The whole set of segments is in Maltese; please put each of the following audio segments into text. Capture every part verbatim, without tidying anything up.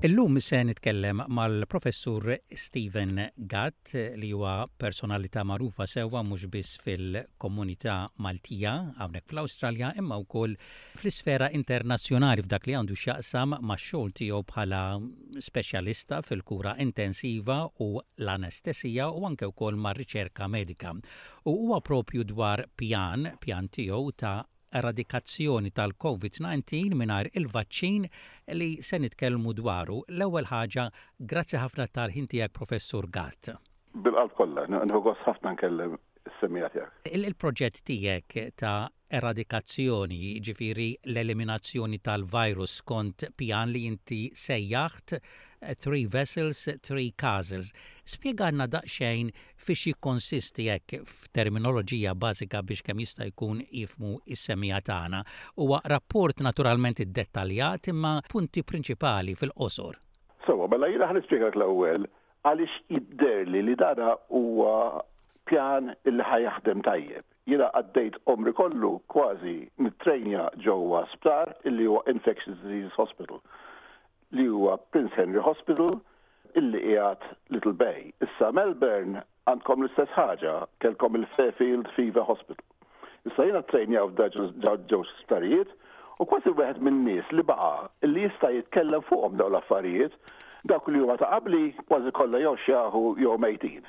Illum se nitkellem mal-professur Stephen Gatt, li huwa personalità magħrufa sewwa mhux biss fil-komunità Maltija hawnhekk fl-Awstralja, imma wkoll fl-isfera internazzjonali f'dak li għandu x'jaqsam max-xogħol tiegħu bħala speċjalista fil-kura intensiva u l-anestesija u anke wkoll mar-riċerka medika. U huwa propju dwar pjan, pjan tiegħu ta' eradikazzjoni tal-COVID disa' mingħajr il-vaċċin li se nitkellmu dwaru. L-ewwel ħaġa, grazzi ħafna tal-ħin tiegħek, Professur Gatt. Bil-qalb kollha, nieħu gost ħafna nkellem is-semmiegħa tiegħek. Il-proġett tiegħek ta' eradikazzjoni, ġifieri l-eliminazzjoni tal-virus skont pjan li inti sejjaħt Three Vessels, Three Castles. Spjegalna daqsxejn fiex jikkonsisti hekk f'terminoloġija bażika biex kemm jista' jkun jifhmu is-semmiegħa tagħna. Huwa rapport naturalment iddettaljat, imma punti prinċipali fil-qosor. Sewwa, mela jiena ħa nispjegak l-ewwel għaliex jidherli li dana huwa pjan illi ħa jaħdem tajjeb. Jiena għaddejt għomri kollu kważi nittrejnja ġewwa sptar illi huwa Infectious Disease Hospital, li huwa Prince Henry Hospital illi qiegħed Little Bay. Issa Melbourne għandkom l-istess ħaġa, kellkom il-Fairfield Fever Hospital. Issa jiena trejnja f'ġew sptarijiet u kważi wieħed minn nies li baqa' illi jista' jitkellem fuqhom dawn l-affarijiet. Dawk li huma ta' qabli kważi kollha jew xjaħu jew mejtin.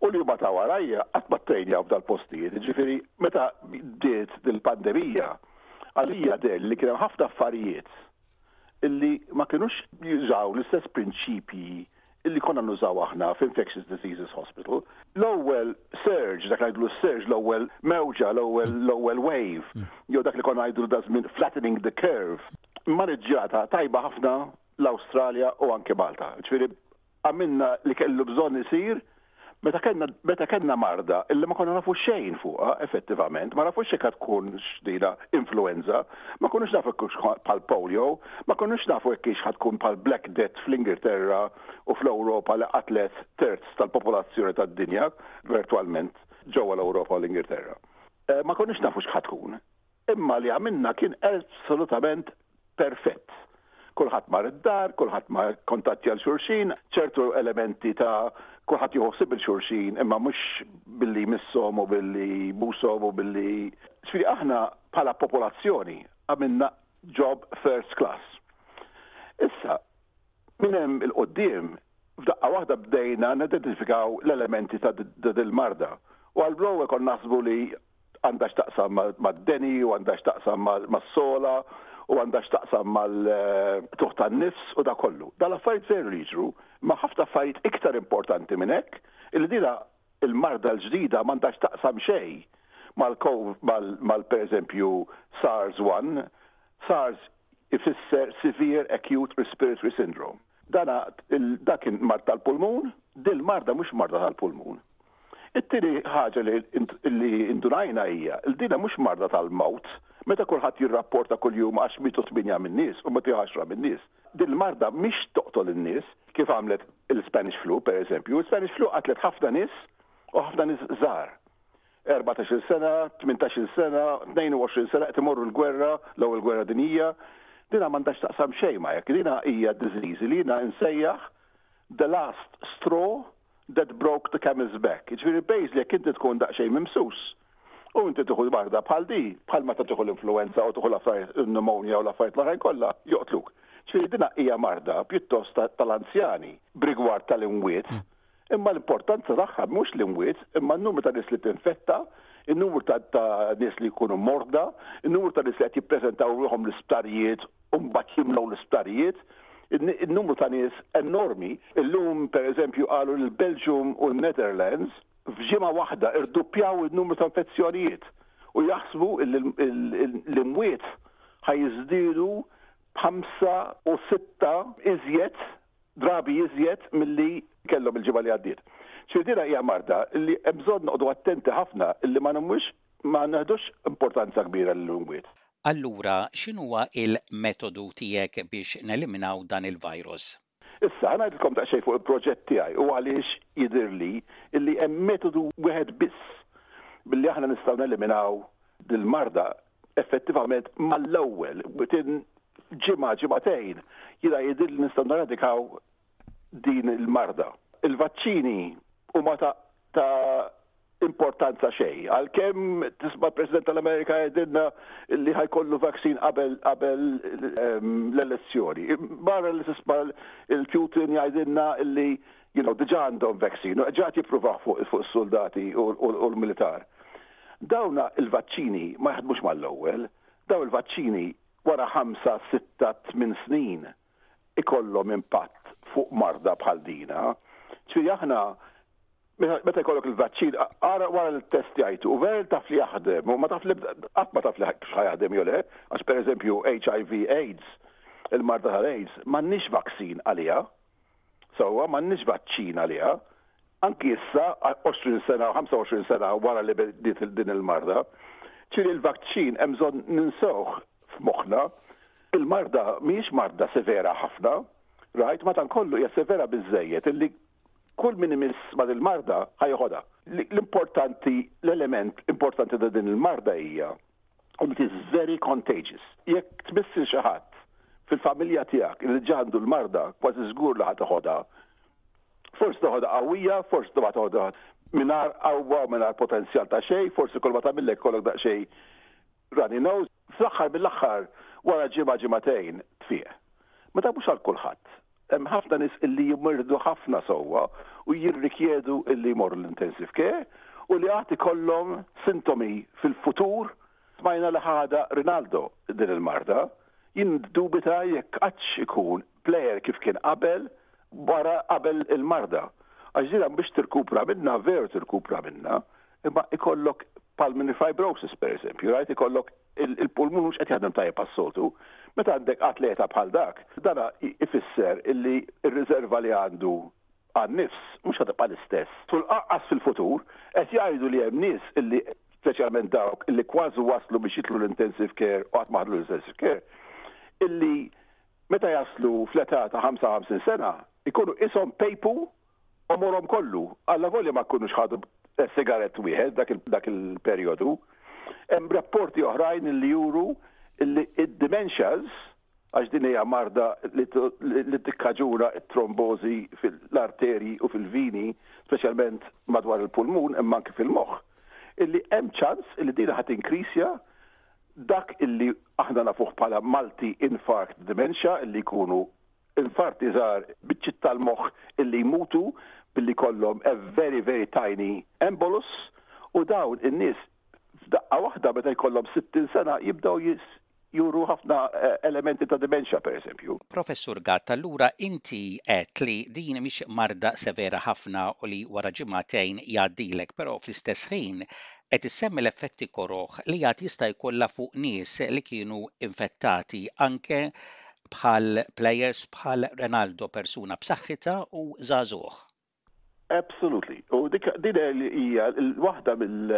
U li huma ta' warajja qatt ma trejnjaw f'dal-postijiet. Ġifieri meta bdiet dil-pandemija, għalija deher li kien hemm ħafna affarijiet illi ma kienux jużaw l-istess prinċipji illi konna nużaw aħna f'Infectious Diseases Hospital. L-ewwel surge, dak ngħidlu surge, l-ewwel mewġa, l-ewwel l-ewwel wave, jew dak li konna ngħidu da żmien flattening the curve, maniġġjata tajba ħafna l-Awstralja u anke Malta. Ġifieri għamilna li kellu bżonn isir meta kellna meta kellna marda illi ma konna nafu xejn fuqha effettivament, ma nafux xejn tkun x'dina influenza, ma konniex nafu jekk bħal polio, ma konniex nafu jekk ħa tkun bħal Black Death fl-Ingilterra u fl-Ewropa li qatlet terz tal-popolazzjoni tad-dinja virtualment ġewwa l-Ewropa u l-Ingilterra. Eh, ma konniex nafu x'ħa tkun. Imma li għamilna kien assolutament perfett. Kulħadd mar id-dar, kulħadd ma kontattja 'l xulxin, ċertu elementi ta' kulħadd jħossib 'il xulxin, imma mhux billi misshom u billi bushom u billi. Ġifieri aħna bħala popolazzjoni għamilna job first class. Issa, minn hemm 'il quddiem, f'daqqa waħda bdejna nidentifikaw l-elementi ta' dil-marda. U għall-ewwel konna naħsbu li għandha x'taqsam mad-deni u għandha x'taqsam mas-sogħla u għandha x'taqsam mal-qtugħ tan-nifs u da kollu. Dal-affarijiet veru li jiġru, ma ħafna affarijiet iktar importanti minn hekk, illi dina il-marda l-ġdida m'għandha x'taqsam xejn mal per eżempju SARS one. SARS ifisser Severe Acute Respiratory Syndrome. Dana dak kien mard tal-pulmun, dil marda mhux marda tal-pulmun. It-tieni ħaġa li indunajna hija li dina mhux marda tal-mewt, meta kulħadd jirrapporta kuljum għax mietu tmienja min-nies u mietu għaxra min-nies. Din il-marda mhix toqtol in-nies kif għamlet il-Spanish flu, per eżempju. Il-Spanish flu qatlet ħafna nies u ħafna nies żgħar. erbatax-il sena, tmintax-il sena, tnejn u għoxrin sena, qed imorru l-gwerra, l-ewwel gwerra dinjija. Dina m'għandax taqsam xejn ma jekk. Dina hija disease li jiena nsejjaħ the last straw that broke the camel's back. Ġifieri basically jekk inti tkun daqsxejn mimsus u inti tieħu marda bħal di, bħal meta tieħu l-influenza u tieħu l-affarijiet, il-pneumonia u l-affarijiet l-oħrajn kollha, joqtluk. Ġifieri dina hija marda pjuttost tal-anzjani b'rigward tal-imwiet. Imma l-importanza tagħha mhux l-imwiet, imma n-numru ta' nies li tinfetta, il-numru ta' nies li jkunu morda, il-numru ta' nies li qed jippreżentaw ruħhom l-isptarijiet u mbagħad jimlew l-isptarijiet, il-numru ta' nies enormi. Illum, per eżempju, qalu l-Belgium u l-Netherlands f'ġimgħa waħda irduppjaw il-numru ta' infezzjonijiet u jaħsbu l-imwiet ħa jiżdiedu b'ħamsa u sitta iżjed drabi iżjed milli kellhom il-ġimgħa li għaddiet. Ċirdina hija marda li hemm bżonn noqogħdu attenti ħafna illi ma nagħmlux, ma neħdux importanza kbira l-imwiet. Allura, x'inhuwa il-metodu tiegħek biex neliminaw dan il-virus? Issa, ħa ngħidilkom daqsxejn fuq il-proġett tiegħi u għaliex jidhirli illi hemm metodu wieħed biss billi aħna nistgħu neliminaw dil-marda effettivament mal-ewwel within Ġimgħa, ġimagħtejn, jiena jidhirli nistgħu neradikaw din il-marda. Il-vaċċini huma ta' ta' importanza xejn. Għalkemm tisma' President tal-Amerika jgħidilna li ħa jkollu vaccine qabel qabel ehm, l-elezzjoni. Barra li tisma' il-Putin jgħidilna li you know, diġà għandhom vaccine, diġà jippruvaw fuq fuq soldati u l-militar. Dawna il-vaċċini ma jaħdmux mal-ewwel, daw il-vaċċini wara ħamsa, sitta, tmien snin ikollhom impatt fuq marda bħal dina. Ġifieri aħna meta jkollok il-vaċċin, ara wara l-test jgħidu, u vera taf li jaħdem, u ma taf li qatt ma taf li jaħdem jew le, għax pereżempju H I V AIDS, il-marda tal-AIDS, m'għandniex vaccine għaliha. Sewwa, m'għandniex vaċċin għaliha. Anki issa, għoxrin sena, ħamsa u għoxrin sena wara li bdiet din il-marda, ġifieri il-vaċċin hemm bżonn ninsewh f'moħħna. Il-marda mhijiex marda severa ħafna, right? Madankollu hija severa biżejjed illi kull min imiss ma' il-marda ħa jeħodha. L-importanti, l-element importanti ta' din il-marda hija it is very contagious. Jekk tmiss lil xi ħadd fil-familja tiegħek li għandu l-marda, kważi żgur li ħa teħodha. Forsi toħodha qawwija, forsi toħodha mingħajr qawwa, mingħajr potenzjal ta' xejn, forsi kull ma tagħmillek kollok daqsxejn runny nose. Fl-aħħar mill-aħħar, wara ġimgħa, ġimagħtejn tfiq. Ma ta' mhux għal kulħadd. Hemm ħafna nies illi jimirdu ħafna sewwa u jirrikjedu illi jmorru l-intensive care u li għad ikollhom sintomi fil-futur. Smajna li ħadha Ronaldo din il-marda, jien dubita jekk għadx ikun player kif kien qabel, wara qabel il-marda. Għax dina biex tirkupra minna, veru tirkupra minna, imma ikollok pulmonary fibrosis per eżempju, right? Ikollok il-pulmun mhux qed jaħdem tajjeb għas-soltu. Meta għandek atleta bħal dak, dana ifisser illi ir-riserva li għandu għan-nifs mhux ħa tibqa' l-istess. Tul fil-futur qed jgħidu li hemm nies illi, speċjalment dawk illi kważi waslu biex jidħlu l-intensive care u qatt ma ħadu l-intensive care, illi meta jaslu fl-età ta' ħamsa u ħamsin sena ikunu ishom pejpu għomorhom kollu. Alla volja ma jkunux ħadu sigarett wieħed dak il-perjodu. Hemm rapporti oħrajn li juru illi id-dementias, għax din hija marda li tikkaġuna t-trombozi fil-arterji u fil-vini, speċjalment madwar il-pulmun imma anke fil-moħħ, illi hemm ċans illi din ħa tinkrisja dak illi aħna nafuh bħala multi-infarct dementia, illi jkunu infarti żgħar, biċċiet tal-moħħ illi jmutu billi kollhom a very, very tiny embolus, u dawn in-nies f'daqqa waħda meta jkollhom sittin sena jibdew juru ħafna eh, elementi ta' dementia, per eżempju. Professur Gatt, allura inti qed li din mhix marda severa ħafna u li wara ġimagħtejn jgħaddilek, però fl-istess ħin qed issemmi l-effetti koroħ li għad jista' jkollha fuq nies li kienu infettati, anke bħal players bħal Ronaldo, persuna b'saħħitha u żagħżugħ. Absolutely. U dik din hija l-waħda mill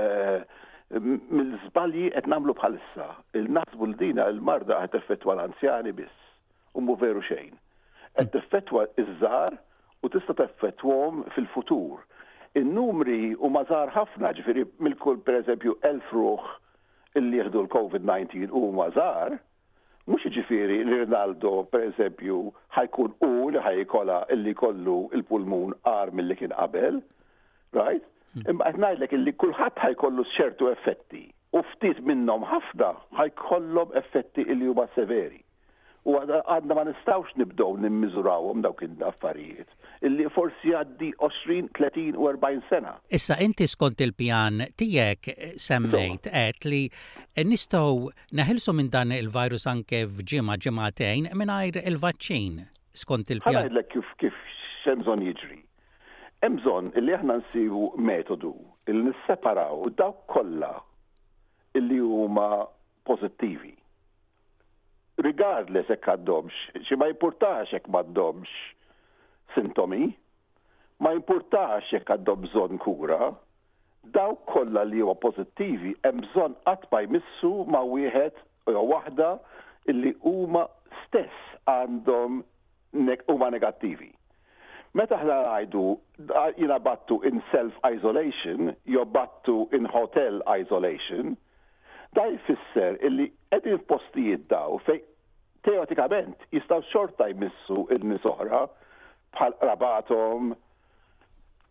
mill-żbalji qed nagħmlu bħalissa. Il-naħsbu l dina il-marda qed teffettwa l-anzjani biss u mhu veru xejn. Qed teffettwa iż-żgħar u tista' teffettwahom fil-futur. In-numri huma żgħar ħafna, ġifieri mill-kull pereżempju elf ruħ illi jieħdu l-COVID nineteen huma żgħar, mhux ġifieri li Ronaldo pereżempju ħa jkun u li ħa jkollha illi kollu il-pulmun agħar milli kien qabel, right? Imma qed ngħidlek illi kulħadd ħa jkollu ċertu effetti u ftit minnhom ħafna ħa jkollhom effetti illi huma severi. U għadna ma nistgħux nibdew nimmiżurawhom dawk il-affarijiet illi forsi għaddi għoxrin, tletin u erbgħin sena. Issa inti skont il-pjan tiegħek semmejt qed li nistgħu neħilsu minn dan il-virus anke f'ġimgħa, ġimagħtejn mingħajr il-vaċċin skont il-pjan. Ħa ngħidlek kif kif x'hemm bżonn jiġri. Hemm bżonn illi aħna nsibu metodu illi nisseparaw dawk kollha illi huma pożittivi. Regardless jekk għandhomx, xi ma jimpurtax jekk m'għandhomx sintomi, ma jimpurtax jekk għandhom bżonn kura, dawk kollha li huwa pożittivi hemm bżonn qatt ma jmissu ma' wieħed jew waħda illi huma stess għandhom huma negattivi. Meta aħna ngħidu jiena bgħattu in self-isolation jew bgħattu in hotel isolation, da jfisser illi qegħdin f'postijiet daw fej Teoretikament jistgħu xorta jmissu in-nies oħra bħal qrabathom,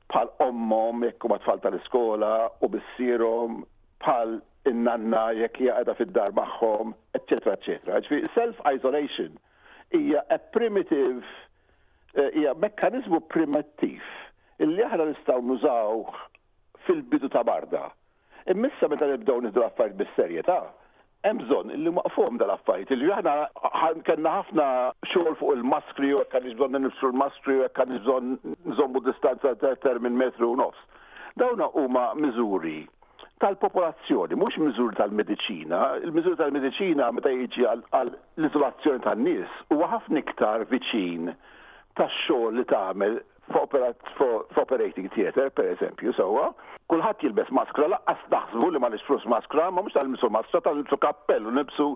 bħal ommhom jekk huma tfal tal-iskola u missierhom, bħal in-nanna jekk hija qiegħda fid-dar magħhom, eċċetera, eċċetera. Ġifieri self-isolation hija a primitive eh, hija mekkaniżmu primittiv illi aħna nistgħu nużaw fil-bidu ta' marda. Imma issa meta nibdew nieħdu l-affarijiet bis-serjetà, hemm bżonn illi waqfuhom dal-affarijiet illi aħna kellna ħafna xogħol fuq il-maskri u jekk bżonn nilbsu l-maskri u jekk bżonn nżommu distanza ta' minn metru u nofs. Dawna huma miżuri tal-popolazzjoni, mhux miżuri tal-mediċina. Il-miżuri tal-mediċina meta jiġi għal l-iżolazzjoni tan-nies huwa ħafna iktar viċin tax-xogħol li tagħmel f'operating theater, per eżempju, sewwa. Kulħadd jilbes maskra, lanqas naħsbu li ma nixtrux maskra, ma mhux tal-nilbsu maskra, tal-nilbsu kappell u nilbsu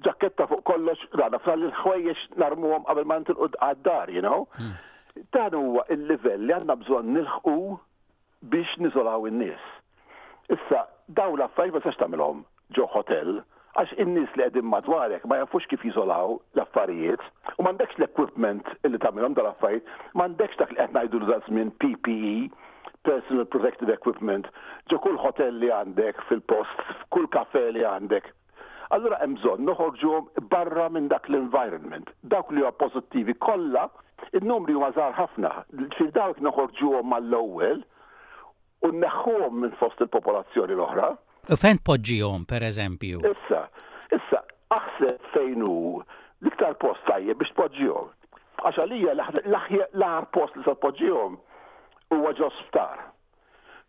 ġaketta fuq kollox, għana fral il-ħwejjeġ narmuhom qabel ma nitilqu għad-dar, you know. Hmm. Dan huwa il-livell li għandna bżonn nilħqu biex niżolaw in-nies. Issa, daw l-affarijiet ma tistax tagħmilhom ġo hotel, għax in-nies li qegħdin madwarek ma jafux kif jiżolaw l-affarijiet u m'għandekx l-equipment illi tagħmilhom dal-affarijiet, m'għandekx dak li qed ngħidu l żmien P P E, Personal Protective Equipment, ġo kull hotel li għandek fil-post, kull kafe li għandek. Allura hemm bżonn noħorġuhom barra minn dak l-environment. Dawk li huwa pożittivi kollha, in-numri huma żgħar ħafna. Fil dawk noħorġuhom mal-ewwel u nneħħuhom minn fost il-popolazzjoni l-oħra. U fejn poġġihom, per eżempju? Issa, issa, aħseb fejn hu l-iktar post tajjeb biex tpoġġihom. Għax għalija l-aħjar post li se tpoġġihom huwa ġo sptar.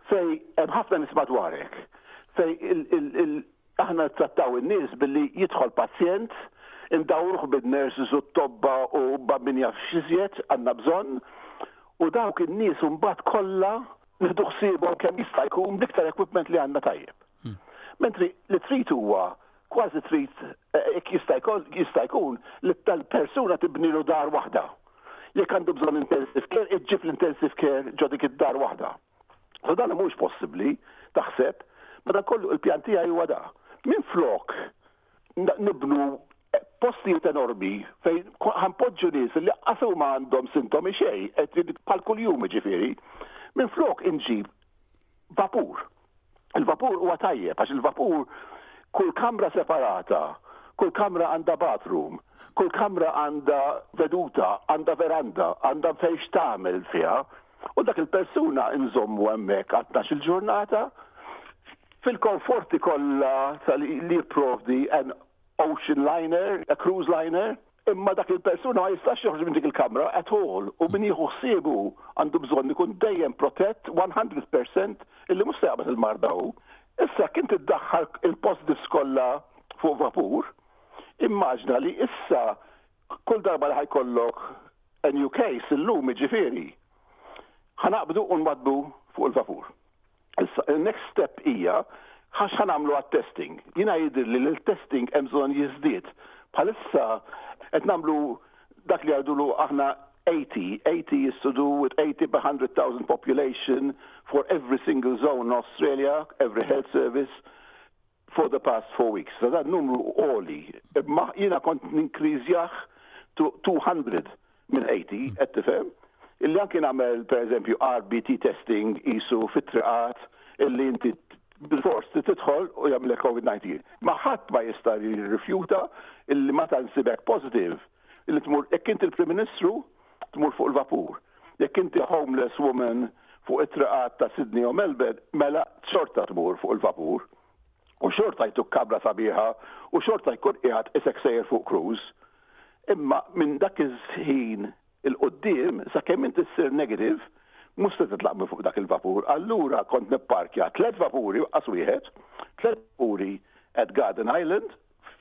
Fej hemm ħafna nies madwarek. Fej aħna trattaw in-nies billi jidħol pazjent, indawruh bin-nurses u t-tobba u min jaf x'iżjed għandna bżonn, u dawk in-nies mbagħad kollha nieħdu ħsiebhom kemm jista' jkun bl-iktar equipment li għandna tajjeb. Mentri li trid huwa kważi trid eh, jista' jkun li tal-persuna tibnilu dar waħda. Jekk għandu bżonn intensive care, iġġib l-intensive care ġo dik id-dar waħda. So dan mhux possibbli taħseb, ma dan kollu il-pjan tiegħi huwa da. Minn flok nibnu postijiet enormi fejn ħa npoġġu nies li qasu ma għandhom sintomi xejn, qed bħal kuljum ġifieri, minn flok inġib vapur. Il-vapur huwa tajjeb għax il-vapur kull kamra separata, kull kamra għandha bathroom, kull kamra għandha veduta, għandha veranda, għandha fejn tagħmel fiha, u dak il-persuna nżommu hemmhekk għal il-ġurnata fil-komforti kollha li jipprovdi an ocean liner, a cruise liner, imma dak il-persuna ma jistax joħroġ minn dik il-kamra at all u min jieħu ħsiebu għandu bżonn ikun dejjem protett mija fil-mija illi mhux se jaqbad il-marda hu. Issa kien tiddaħħal il-positives kollha fuq vapur, immaġna li issa kull darba li ħa jkollok a new case illum ġifieri, ħa naqbdu u nwaddbu fuq il-vapur. Issa, il-next step hija għax ħa nagħmlu għat-testing. Jiena jidir li l-testing hemm bżonn jiżdied. Bħalissa qed nagħmlu dak li għadulu aħna eighty. eighty is to do with eighty per one hundred thousand population for every single zone in Australia, every health service for the past four weeks. So dan numru għoli. Ma jiena kont ninkriżjah to two hundred minn eighty, qed tifhem? Illi anki nagħmel per eżempju R B T testing isu fit-triqat illi inti bil-fors tidħol u jagħmlek COVID nineteen. Ma ħadd ma jista' jirrifjuta illi meta nsibek positive illi tmur, jekk inti il-Prim Ministru tmur fuq il-vapur. Jekk inti homeless woman fuq it-triqat ta' Sydney u Melbourne, mela xorta tmur fuq il-vapur. U xorta jtuk kamra sabiħa u xorta jkun qiegħed isek sejjer fuq cruise. Imma minn dak iż-ħin 'il quddiem sakemm inti ssir negative, mhux se titlaq minn fuq dak il-vapur. Allura kont nipparkja tliet vapuri, qas wieħed, tliet vapuri at Garden Island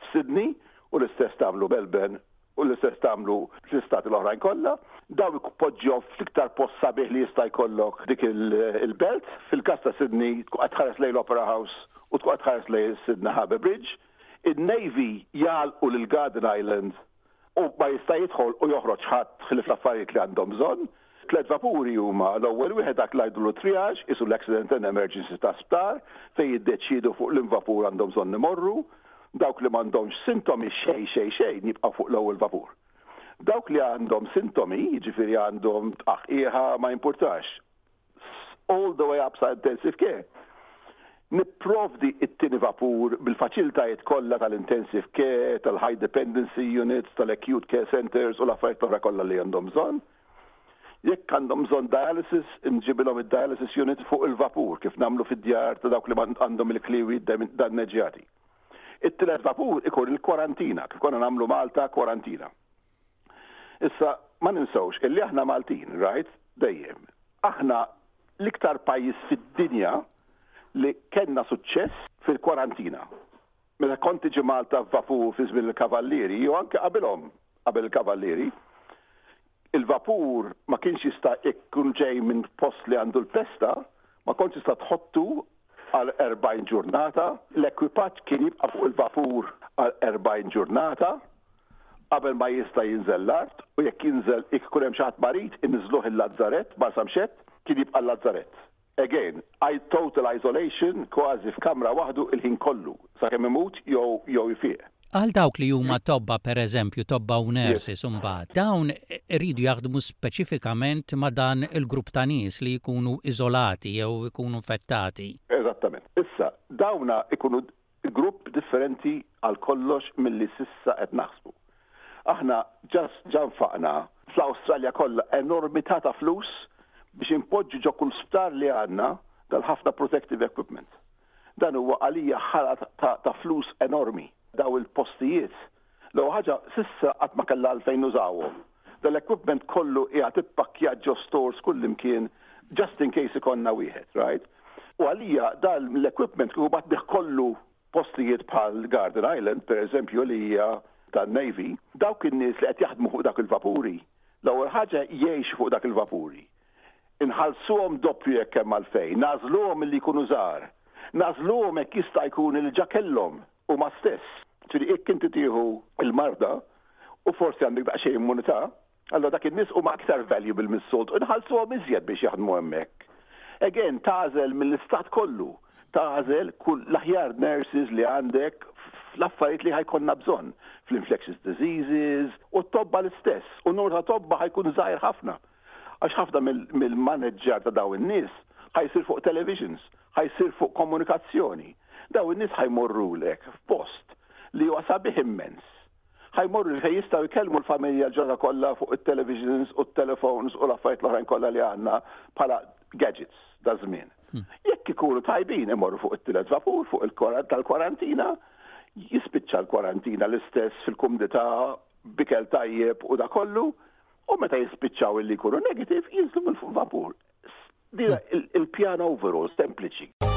f'Sydney u l-istess tagħmlu Melbourne u l-istess tagħmlu fl-istati l-oħrajn kollha. Daw poġġew fl-iktar post sabiħ li jista' jkollok dik il-belt. Fil-każ ta' Sydney tkun qed tħares lejn l-Opera House u tkun qed tħares lejn Sydney Harbour Bridge. Il-Navy jagħlqu lil Garden Island u ma jista' jidħol u joħroġ ħadd ħlief l-affarijiet li għandhom bżonn. Tlet vapuri huma: l-ewwel wieħed dak li jgħidulu triage, isu l-accident and emergency ta' sptar, fejn jiddeċiedu fuq liema vapur għandhom bżonn imorru. Dawk li m'għandhomx sintomi xejn xejn xejn jibqgħu fuq l-ewwel vapur. Dawk li għandhom sintomi, jiġifieri għandhom tqaħqiħa, ma jimpurtax, all the way up sa intensive care. Nipprovdi it-tieni vapur bil-faċilitajiet kollha tal-intensive care, tal-high dependency units, tal-acute care centers u l-affarijiet oħra kollha li għandhom bżonn. Jekk għandhom bżonn dialysis, nġibilhom id-dialysis unit fuq il-vapur kif nagħmlu fid-djar ta' dawk li għandhom il-kliwi danneġġjati. It-tielet vapur ikun il-kwarantina, kif konna nagħmlu Malta kwarantina. Issa, ma ninsewx illi aħna Maltin, right? Dejjem. Aħna l-iktar pajjiż fid-dinja li kellna suċċess fil-kwarantina. Meta kont tiġi Malta vapur fi żmien il-Kavallieri, jew anke qabilhom, qabel il-Kavallieri, il-vapur ma kienx jista' ikun ġej minn post li għandu l-pesta, ma kontx jista' tħottu għal erbgħin ġurnata, l-ekwipaġġ kien jibqa' fuq il-vapur għal erbgħin ġurnata qabel ma jista' jinżel l-art, u jekk jinżel, jekk ikun hemm xi ħadd marid, inniżluh il-Lazzarett, Marsamxett, kien jibqa' l-Lazzarett. Again, I total isolation, kważi f'kamra waħdu il-ħin kollu, sakemm imut jew jew jfiq. Għal dawk li huma tobba, per eżempju, tobba u nurses imbagħad, dawn iridu jaħdmu speċifikament ma' dan il-grupp ta' nies li jkunu iżolati jew ikunu infettati. Eżattament. Issa, dawna ikunu grupp differenti għal kollox milli s'issa qed naħsbu. Aħna ġa nfaqna fl-Awstralja kollha enormità ta' flus biex impoġġu ġo kull sptar li għandna dal-ħafna protective equipment. Dan huwa għalija ħala ta', ta flus enormi daw il-postijiet. L ħaġa, s'issa qatt ma kellha għalfejn nużawhom. Dal-equipment kollu qiegħed ippakkjat ġo stores kullimkien just in case ikollna wieħed, right? U għalija dal l-equipment kieku bgħattnieh kollu postijiet bħal Garden Island, per eżempju, li hija tan-Navy, dawk in-nies li qed jaħdmu fuq dak il-vapuri, l-ewwel ħaġa jgħixu fuq dak il-vapuri. Inħallsuhom doppju jekk hemm għalfejn, nagħżluhom li jkunu żgħar, nagħżluhom hekk jista' jkun li ġa kellhom huma stess. Ġifieri jekk inti tieħu il-marda u forsi għandek daqsxejn immunità, allora dak in-nies huma aktar valuable mis-soltu, inħallsuhom iżjed biex jaħdmu hemmhekk. Again, tagħżel mill-istat kollu, tagħżel kull l-aħjar nurses li għandek fl-affarijiet li ħa jkollna bżonn, fl-infectious diseases, u t-tobba l-istess, u numru ta' tobba ħa jkun żgħir ħafna. Għax ħafna mill-manager ta' daw in-nies ħa jsir fuq televisions, ħa jsir fuq komunikazzjoni. Daw in-nies ħa jmorrulek f'post li huwa sabiħ immens. Ħa jmorru fejn jistgħu jkellmu l-familja l-ġurnata kollha fuq it-televisions u t-telefons u l-affarijiet l-oħrajn kollha li għandna bħala gadgets da żmien. Hmm. Jekk ikunu tajbin, imorru fuq it-tielet vapur, fuq il tal-kwarantina, jispiċċa l-kwarantina l-istess fil-kumdità, b'ikel tajjeb u da kollu, u meta jispiċċaw illi jkunu negative, jinżlu minn fuq vapur. Dina il-pjan overall sempliċi.